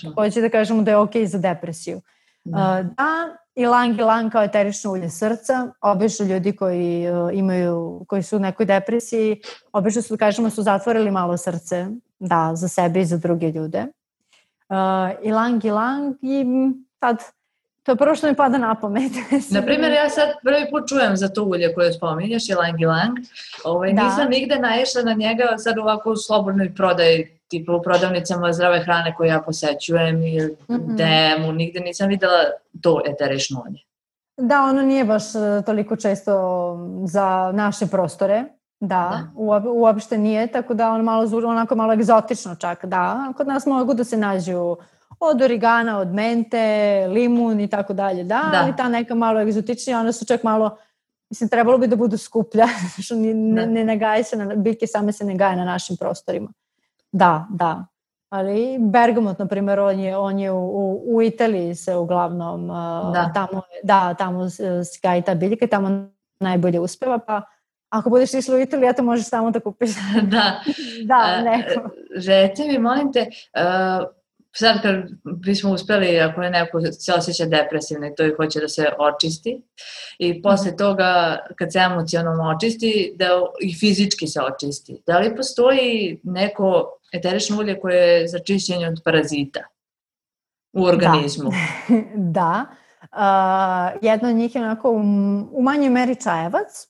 uh, hoće da kažemo da je ok za depresiju. Uh, da, ilang ilang kao eterično ulje srca, obično ljudi koji uh, imaju, koji su u nekoj depresiji, obično su, kažemo, su zatvorili malo srce, da, za sebe i za druge ljude. Uh, ilang ilang i sad, to je prvo što mi pada na pamet. Naprimjer, ja sad prvi put čujem za to ulje koje spominješ, ilang ilang. Ovaj, nisam nigde naišla na njega sad ovako u slobodnoj prodaji, tipa u prodavnicama zdrave hrane koje ja posećujem i mm-hmm. demu, nigde nisam videla to eterično ulje. Da, ono nije baš toliko često za naše prostore, da, da. Uopšte nije, tako da ono malo, onako malo egzotično čak, da. Kod nas mogu da se nađu od origana, od mente, limun i tako dalje, da, da. Ali ta neka malo egzotičnija, one su čak malo, mislim, trebalo bi da budu skuplja, što ne, ne, ne nagaje se, na, biljke same se ne gaje na našim prostorima. Da, da. Ali bergamot, na primjer, on je, on je u, u, u Italiji se uglavnom, da. tamo, da, tamo se gaji ta biljka i tamo najbolje uspeva, pa ako budeš išla u Italiju, ja to možeš tamo da kupiš. Da. Da, neko. Reci mi, molim te, uh, sad kad bismo uspeli, ako je neko se osjeća depresivno i to i hoće da se očisti i posle toga kad se emocionalno očisti, da i fizički se očisti. Da li postoji neko eterično ulje koje je za čišćenje od parazita u organizmu? Da. da. Uh, jedno od njih je onako u, u manjoj meri čajevac,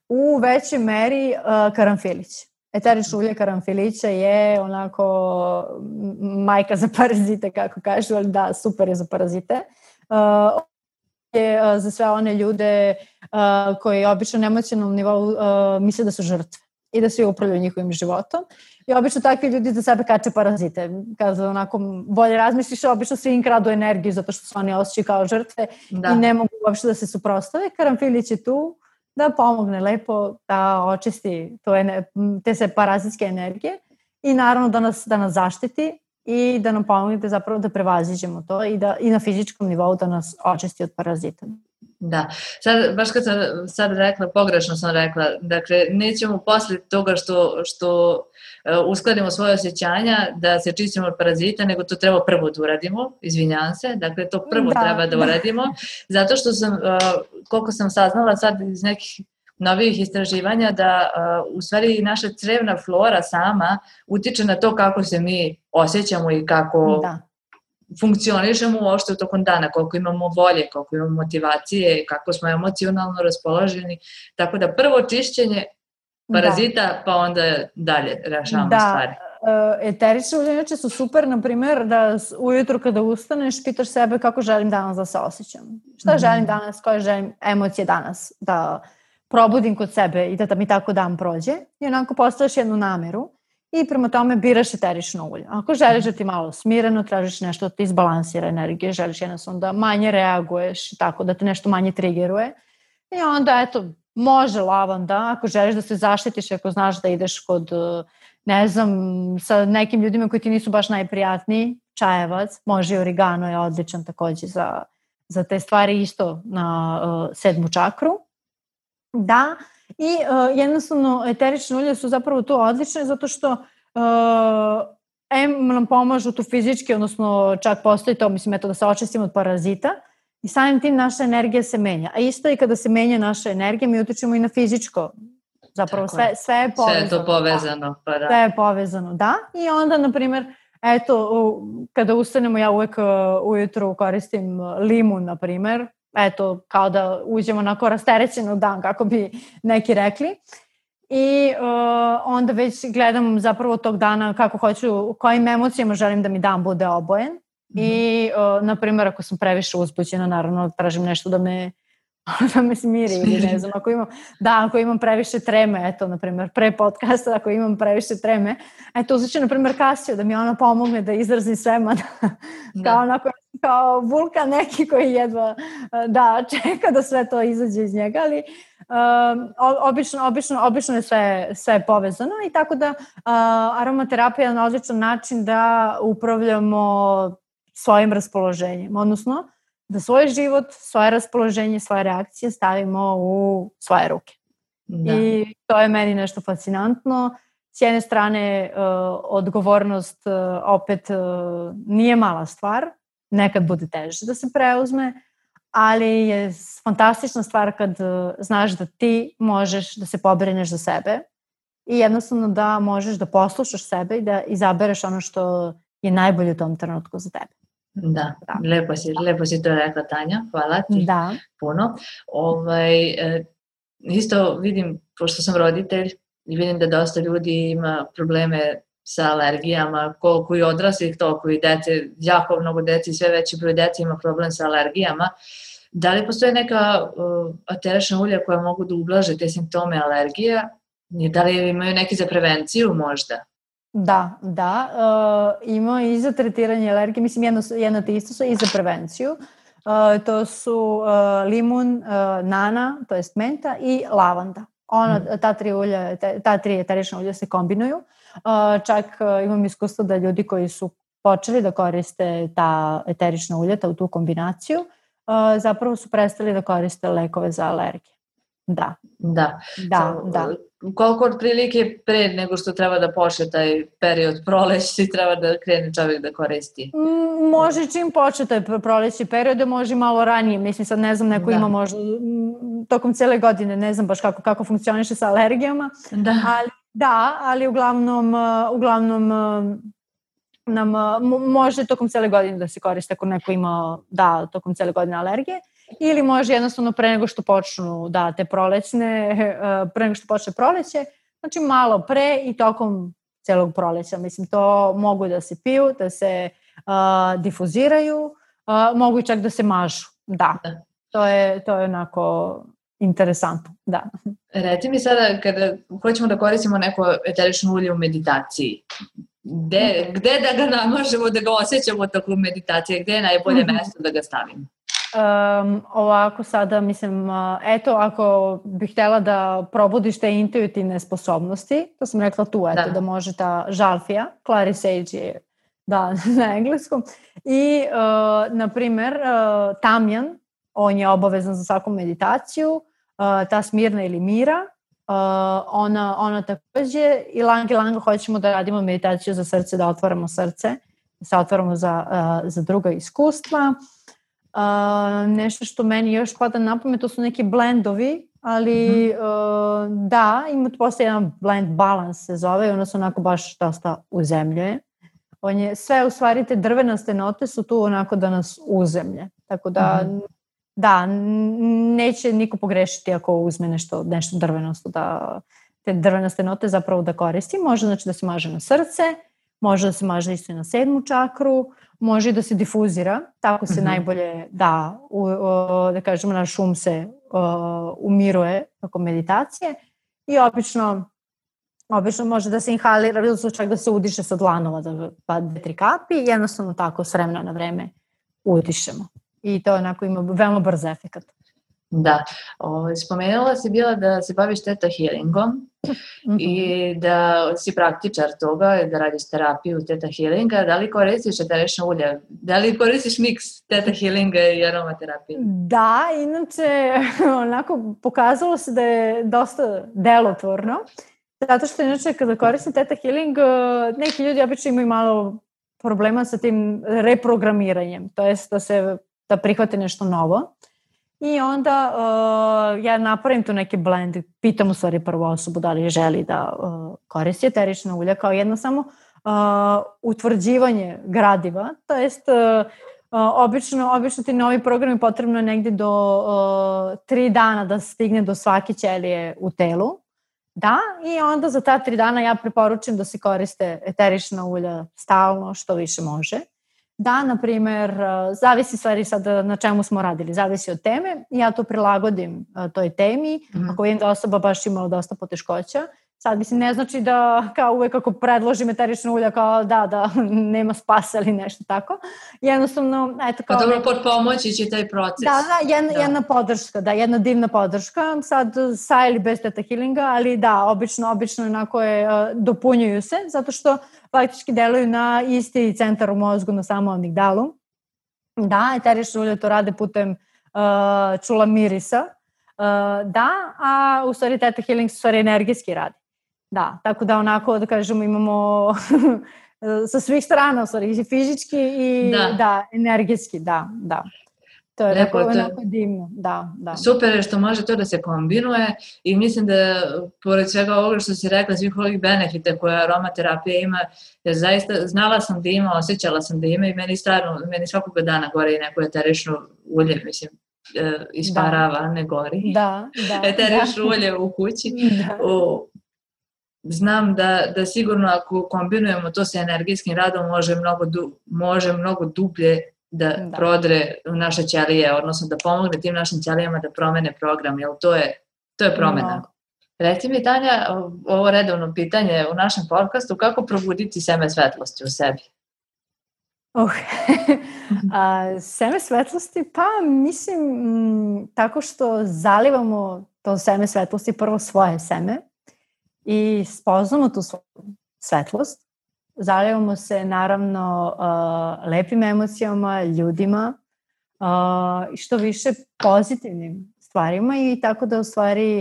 u većoj meri uh, karanfilić. Eterično ulje karanfilića je onako majka za parazite, kako kažu, ali da, super je za parazite. Uh, je uh, za sve one ljude uh, koji obično na emocionalnom nivou uh, misle da su žrtve i da svi upravljaju njihovim životom. I obično takvi ljudi za sebe kače parazite. Kada onako bolje razmisliš, obično svi im kradu energiju zato što se oni osjećaju kao žrtve da. I ne mogu uopšte da se suprotstave. Karanfilić je tu da pomogne lepo da očisti to, te se parazitske energije i naravno da nas, da nas zaštiti i da nam pomogne zapravo da prevaziđemo to i, da, i na fizičkom nivou da nas očisti od parazita. Da, sad, baš kad sam sad rekla, pogrešno sam rekla, dakle, nećemo posle toga što, što uh, uskladimo svoje osjećanja da se čistimo od parazita, nego to treba prvo da uradimo, izvinjam se, dakle, to prvo da, treba da uradimo, zato što sam, uh, koliko sam saznala sad iz nekih novih istraživanja, da uh, u stvari naša crevna flora sama utiče na to kako se mi osjećamo i kako... Da. Funkcionišemo uopšte u tokom dana, koliko imamo volje, koliko imamo motivacije, kako smo emocionalno raspoloženi. Tako da prvo čišćenje parazita, da. Pa onda dalje rešavamo da. Stvari. Da, eterične ulje inače su super, na primjer, da ujutru kada ustaneš, pitaš sebe kako želim danas da se osjećam. Šta mm-hmm. želim danas, koje želim emocije danas da probudim kod sebe i da, da mi tako dan prođe i onako postavljaš jednu nameru i prema tome biraš eterično ulje. Ako želiš da ti malo smireno, tražiš nešto da ti izbalansira energije, želiš jednostavno da manje reaguješ, tako da te nešto manje trigeruje i onda eto, može lavanda, ako želiš da se zaštitiš, ako znaš da ideš kod, ne znam, sa nekim ljudima koji ti nisu baš najprijatniji, čajevac, može i origano je odličan takođe za, za te stvari isto na uh, sedmu čakru. Da, i uh, jednostavno eterične ulje su zapravo tu odlične zato što uh, em nam pomažu tu fizički, odnosno čak postoji to, mislim, eto da se očistimo od parazita i samim tim naša energija se menja. A isto i kada se menja naša energija, mi utičemo i na fizičko. Zapravo sve, sve je povezano. Sve je to povezano. Da. Pa da. Sve je povezano, da. I onda, na primjer, eto, kada ustanemo, ja uvek ujutru koristim limun, na primjer, eto, kao da uđemo onako rasterećen u dan, kako bi neki rekli. I uh, onda već gledam zapravo tog dana kako hoću, kojim emocijama želim da mi dan bude obojen. Mm-hmm. I, uh, na primjer, ako sam previše uzbuđena, naravno, tražim nešto da me da me smiri ili ne znam, ako imam, da, ako imam previše treme, eto, na primjer, pre podcasta, ako imam previše treme, eto, uzet ću, na primjer, Kasiju, da mi ona pomogne da izrazim sve, da, kao onako, kao vulkan neki koji jedva, da, čeka da sve to izađe iz njega, ali um, obično, obično, obično je sve, sve povezano i tako da uh, aromaterapija je na odličan način da upravljamo svojim raspoloženjem, odnosno da svoj život, svoje raspoloženje, svoje reakcije stavimo u svoje ruke. Da. I to je meni nešto fascinantno. S jedne strane, uh, odgovornost uh, opet uh, nije mala stvar, nekad bude teže da se preuzme, ali je fantastična stvar kad uh, znaš da ti možeš da se pobrineš za sebe i jednostavno da možeš da poslušaš sebe i da izabereš ono što je najbolje u tom trenutku za tebe. Da, da. Lepo, si, lepo si to rekla, Tanja, hvala ti da. puno. Ovaj, e, isto vidim, pošto sam roditelj i vidim da dosta ljudi ima probleme sa alergijama, koliko i odraslih, toliko i dece, jako mnogo dece i sve veći broj dece ima problem sa alergijama. Da li postoje neka uh, eterična ulja koja mogu da ublaže te simptome alergija? Da li imaju neki za prevenciju možda? Da, da, uh, ima i za tretiranje alergije, mislim jedno, jedno te isto su i za prevenciju. Uh, to su uh, limun, uh, nana, to jest menta i lavanda. Ona, mm. ta tri ulja, ta tri eterična ulja se kombinuju. Uh, čak uh, imam iskustvo da ljudi koji su počeli da koriste ta eterična ulja, ta, tu kombinaciju, uh, zapravo su prestali da koriste lekove za alergije. Da. Da. Da, so, da. Koliko otprilike pre nego što treba da počne taj period proleći treba da krene čovjek da koristi? Može čim počne taj proleći period, može malo ranije. Mislim, sad ne znam, neko da. Ima možda tokom cijele godine, ne znam baš kako, kako funkcioniše sa alergijama. Da. Ali, da, ali uglavnom, uglavnom nam može tokom cijele godine da se koriste ako neko ima, da, tokom cijele godine alergije. Ili može jednostavno pre nego što počnu da te prolećne, pre nego što počne proleće, znači malo pre i tokom celog proleća. Mislim, to mogu da se piju, da se uh, difuziraju, uh, mogu i čak da se mažu. Da, da. To je, to je onako interesantno, da. Reci mi sada, kada hoćemo da koristimo neko eterično ulje u meditaciji, gde, mm-hmm. gde da ga namažemo, da ga osjećamo tokom meditacije, gde je najbolje mm-hmm. mesto da ga stavimo? Um, ovako sada, mislim, uh, eto, ako bih htjela da probudiš te intuitivne sposobnosti, to sam rekla tu, eto, da, da može ta žalfija, clary sage je, da, na engleskom, i, uh, na primer, uh, tamjan, on je obavezan za svaku meditaciju, uh, ta smirna ili mira, uh, ona, ona takođe, i lang i lang hoćemo da radimo meditaciju za srce, da otvaramo srce, da se otvaramo za, uh, za druga iskustva. Uh, nešto što meni još pada na pamet, to su neki blendovi, ali mm-hmm. uh, da, ima postoji jedan blend balance se zove i ono se onako baš dosta uzemljuje. On je, sve u stvari te drvenaste note su tu onako da nas uzemlje. Tako da, mm-hmm. da, neće niko pogrešiti ako uzme nešto, nešto drvenasto, da te drvenaste note zapravo da koristi. Može znači da se maže na srce, može da se maže isto i na sedmu čakru, može da se difuzira, tako se mm-hmm. najbolje da, u, u, da kažemo, naš um se uh, umiruje tokom meditacije i obično, obično može da se inhalira, ili čak da se udiše sa dlanova, da pa dve, tri kapi i jednostavno tako s vremena na vreme udišemo. I to onako ima veoma brz efekat. Da, o, spomenula si bila da se baviš teta healingom mm-hmm. i da si praktičar toga, da radiš terapiju teta healinga. Da li koristiš eterično ulje? Da li koristiš miks teta healinga i aromaterapije? Da, inače onako pokazalo se da je dosta delotvorno, zato što inače kada koristim teta healing, neki ljudi obično imaju malo problema sa tim reprogramiranjem, to jest da se da prihvate nešto novo. I onda uh, ja napravim tu neki blend, pitam u stvari prvu osobu da li želi da uh, koristi eterična ulja kao jedno samo uh, utvrđivanje gradiva, to jest uh, uh, obično, obično ti novi program je potrebno negdje do uh, tri dana da stigne do svake ćelije u telu. Da, i onda za ta tri dana ja preporučujem da se koriste eterična ulja stalno, što više može. Da, na primjer, zavisi stvari sad na čemu smo radili, zavisi od teme. Ja to prilagodim toj temi. Mm. Ako vidim da osoba baš imala dosta poteškoća, sad mislim ne znači da kao uvek ako predložim eterična ulja kao da, da nema spasa ili nešto tako. Jednostavno, eto kao... Pa dobro, pod pomoći će taj proces. Da, da, jedna, da. jedna podrška, da, jedna divna podrška, sad sa ili bez teta healinga, ali da, obično, obično onako je, dopunjuju se, zato što faktički deluju na isti centar u mozgu, na samo amigdalu. Da, eterična ulja to rade putem uh, čula mirisa. Uh, da, a u stvari teta healing u stvari energijski radi. Da, tako da onako da kažemo imamo sa svih strana u stvari i fizički i da, da energijski, da, da. To je Lepo, onako, to... onako divno, da, da. Super je što može to da se kombinuje i mislim da pored svega ovoga što si rekla, svih ovih benefita koje aromaterapija ima, jer zaista znala sam da ima, osjećala sam da ima i meni stvarno, meni svakoga dana gore i neko eterično ulje, mislim, isparava, da. Ne gori. Da, da. Eterično ulje u kući. Da. U, znam da, da sigurno ako kombinujemo to sa energijskim radom može mnogo, du, može mnogo dublje da, da prodre naše ćelije, odnosno da pomogne tim našim ćelijama da promene program, jer to je, to je promena. No. Reci mi, Tanja, ovo redovno pitanje u našem podcastu, kako probuditi seme svetlosti u sebi? Uh, a, seme svetlosti, pa mislim m, tako što zalivamo to seme svetlosti, prvo svoje seme i spoznamo tu svoju svetlost. Zalivamo se naravno uh, lepim emocijama, ljudima i uh, što više pozitivnim stvarima i tako da u stvari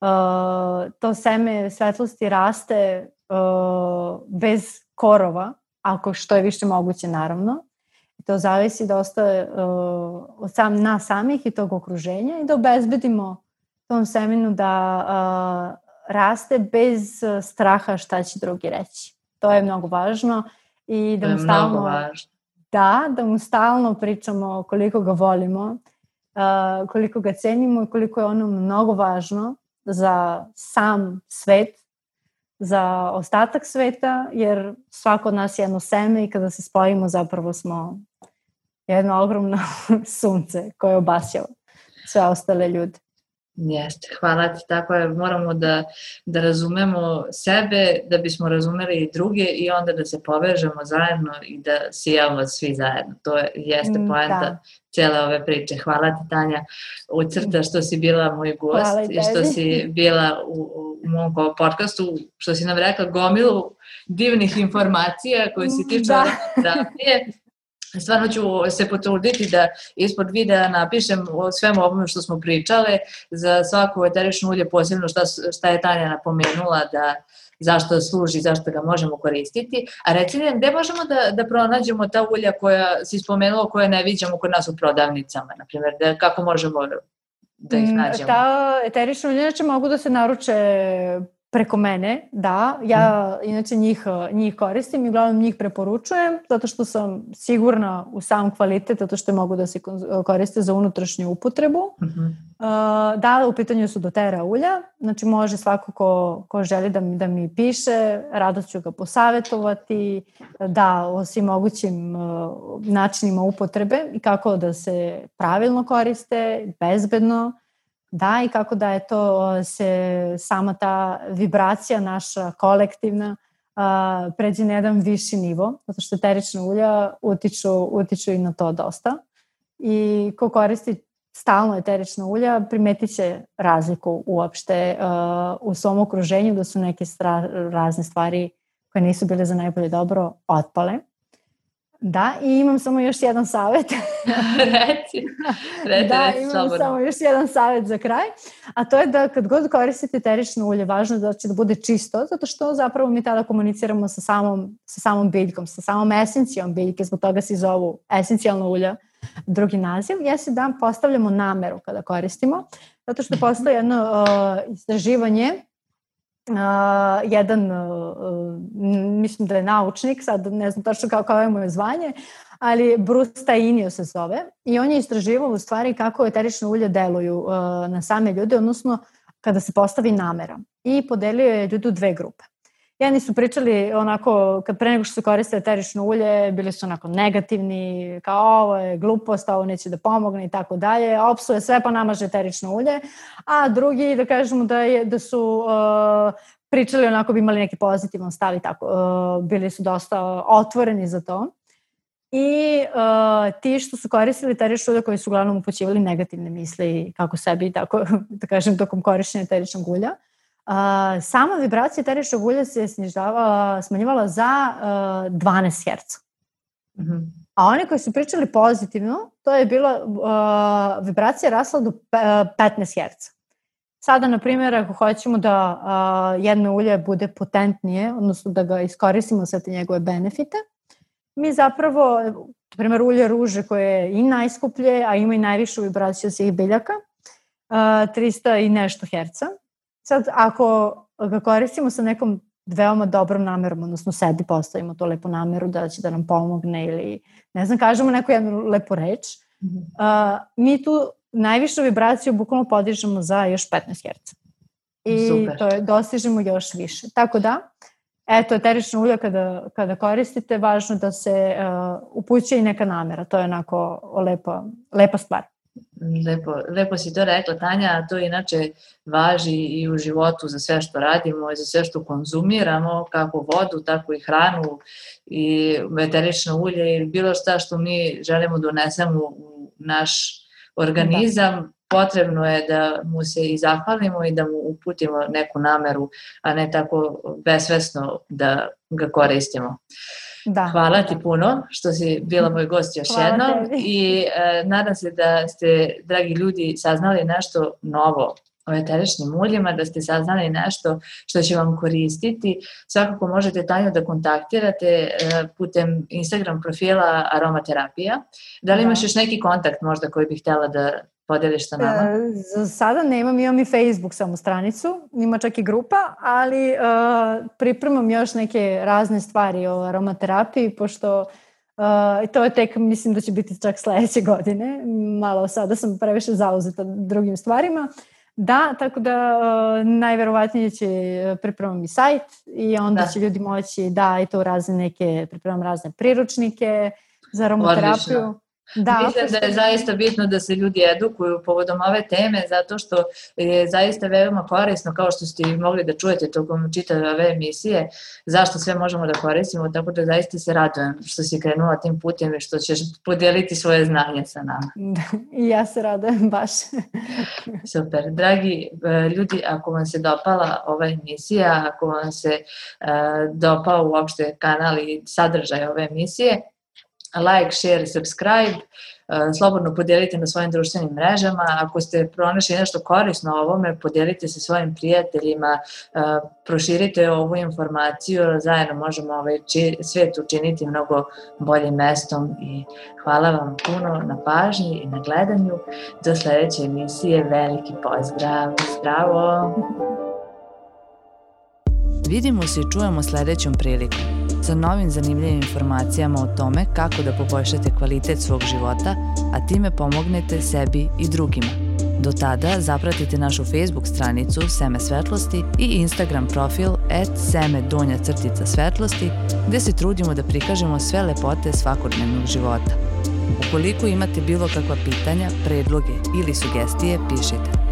uh, to seme svetlosti raste uh, bez korova, ako što je više moguće naravno. I to zavisi dosta uh, od sam, nas samih i tog okruženja i da obezbedimo tom semenu da uh, raste bez straha šta će drugi reći. To je mnogo važno i da mu stalno, da, da mu stalno pričamo koliko ga volimo, uh, koliko ga cenimo i koliko je ono mnogo važno za sam svet, za ostatak sveta, jer svako od nas je jedno seme i kada se spojimo zapravo smo jedno ogromno sunce koje obasjava sve ostale ljude. Jeste, hvala ti, tako je, moramo da, da razumemo sebe, da bismo razumeli i druge i onda da se povežemo zajedno i da sijamo svi zajedno. To je, jeste poenta da. Cijele ove priče. Hvala ti, Tanja, ucrta što si bila moj gost i što si bila u, u mom podcastu, što si nam rekla gomilu divnih informacija koje se tiču terapije. Stvarno ću se potruditi da ispod videa napišem o svemu ovome što smo pričale, za svako eterično ulje posebno šta, šta je Tanja napomenula, da zašto služi, zašto ga možemo koristiti. A reci mi, gde možemo da, da pronađemo ta ulja koja si spomenula, koje ne viđamo kod nas u prodavnicama, na primjer, da, kako možemo da ih nađemo? Ta eterična ulja inače mogu da se naruče preko mene, da, ja inače njih, njih koristim i uglavnom njih preporučujem, zato što sam sigurna u sam kvalitet, zato što mogu da se koriste za unutrašnju upotrebu. Uh-huh. Da, u pitanju su doTERRA ulja, znači može svako ko, ko želi da mi, da mi piše, rado ću ga posavetovati, da, o svim mogućim načinima upotrebe i kako da se pravilno koriste, bezbedno. Da, i kako da je to se sama ta vibracija naša kolektivna uh, pređe na jedan viši nivo, zato što eterična ulja utiču, utiču i na to dosta. I ko koristi stalno eterična ulja, primetit će razliku uopšte uh, u svom okruženju, da su neke stra- razne stvari koje nisu bile za najbolje dobro otpale. Da, i imam samo još jedan savjet. Reci, reci, da, reci, imam slobodno. samo još jedan savjet za kraj, a to je da kad god koristite eterično ulje, važno je da će da bude čisto, zato što zapravo mi tada komuniciramo sa samom, sa samom biljkom, sa samom esencijom biljke, zbog toga se zovu esencijalna ulja, drugi naziv, jeste da postavljamo nameru kada koristimo, zato što postoji jedno uh, istraživanje. Uh, jedan, uh, mislim da je naučnik, sad ne znam tačno kao, kao je moje zvanje, ali Bruce Tainio se zove i on je istraživao u stvari kako eterične ulje deluju uh, na same ljude, odnosno kada se postavi namera, i podelio je ljude u dve grupe. Jedni su pričali onako, kad pre nego što su koristili eterično ulje, bili su onako negativni, kao ovo je glupost, ovo neće da pomogne i tako dalje, opsuje sve pa namaže eterično ulje, a drugi, da kažemo da, je, da su uh, pričali onako, bi imali neki pozitivan stav i tako, uh, bili su dosta otvoreni za to. I uh, ti što su koristili eterično ulje, koji su uglavnom upućivali negativne misli kako sebi, tako da kažem, tokom korišćenja eteričnog ulja, Uh, sama vibracija eteričnog ulja se snižava, smanjivala za uh, dvanaest herca. Mm-hmm. A oni koji su pričali pozitivno, to je bila uh, vibracija rasla do petnaest herca. Sada, na primjer, ako hoćemo da uh, jedno ulje bude potentnije, odnosno da ga iskoristimo sve te njegove benefite, mi zapravo, na primjer, ulje ruže koje je i najskuplje, a ima i najvišu vibraciju od svih biljaka, uh, trista i nešto herca. Sad, ako ga koristimo sa nekom veoma dobrom namerom, odnosno sebi postavimo to lepu nameru da će da nam pomogne ili, ne znam, kažemo neku jednu lepu reč, mm-hmm. uh, mi tu najvišu vibraciju bukvalno podižemo za još petnaest herca. I Super. To je, dostižemo još više. Tako da, eto, eterično ulje kada, kada koristite, važno da se uh, upućuje i neka namera. To je onako lepa, lepa stvar. Lepo, lepo si to rekla, Tanja, a to inače važi i u životu za sve što radimo i za sve što konzumiramo, kako vodu, tako i hranu i eterično ulje ili bilo šta što mi želimo da unesemo u naš organizam, da. Potrebno je da mu se i zahvalimo i da mu uputimo neku nameru, a ne tako besvesno da ga koristimo. Da. Hvala ti puno što si bila moj gost još Hvala jednom tebi. I e, nadam se da ste, dragi ljudi, saznali nešto novo o eteričnim uljima, da ste saznali nešto što će vam koristiti. Svakako možete Tanju da kontaktirate e, putem Instagram profila Aromaterapija. Da li imaš da. još neki kontakt možda koji bih htjela da podeliš sa nama? E, za sada nemam, imam i Facebook samo stranicu, ima čak i grupa, ali e, pripremam još neke razne stvari o aromaterapiji, pošto e, to je tek, mislim da će biti čak sledeće godine, malo sada sam previše zauzeta drugim stvarima. Da, tako da e, najverovatnije će pripremam i sajt i onda da. će ljudi moći da i to razne neke, pripremam razne priručnike za aromaterapiju. Odlično. Da, mislim da je zaista bitno da se ljudi edukuju povodom ove teme, zato što je zaista veoma korisno, kao što ste mogli da čujete tokom čitave ove emisije, zašto sve možemo da koristimo, tako da zaista se radujem što si krenula tim putem i što ćeš podijeliti svoje znanje sa nama. I ja se radujem baš. Super. Dragi ljudi, ako vam se dopala ova emisija, ako vam se uh, dopao uopšte kanal i sadržaj ove emisije, like, share, subscribe, slobodno podijelite na svojim društvenim mrežama. Ako ste pronašli nešto korisno o ovome, podijelite se svojim prijateljima, proširite ovu informaciju, zajedno možemo ovaj svijet učiniti mnogo boljim mestom i hvala vam puno na pažnji i na gledanju. Do sljedeće emisije, veliki pozdrav, zdravo! Vidimo se i čujemo sljedećom prilikom sa novim zanimljivim informacijama o tome kako da poboljšate kvalitet svog života, a time pomognete sebi i drugima. Do tada zapratite našu Facebook stranicu Seme svetlosti i Instagram profil at seme donja crtica svetlosti, gde se trudimo da prikažemo sve lepote svakodnevnog života. Ukoliko imate bilo kakva pitanja, predloge ili sugestije, pišite.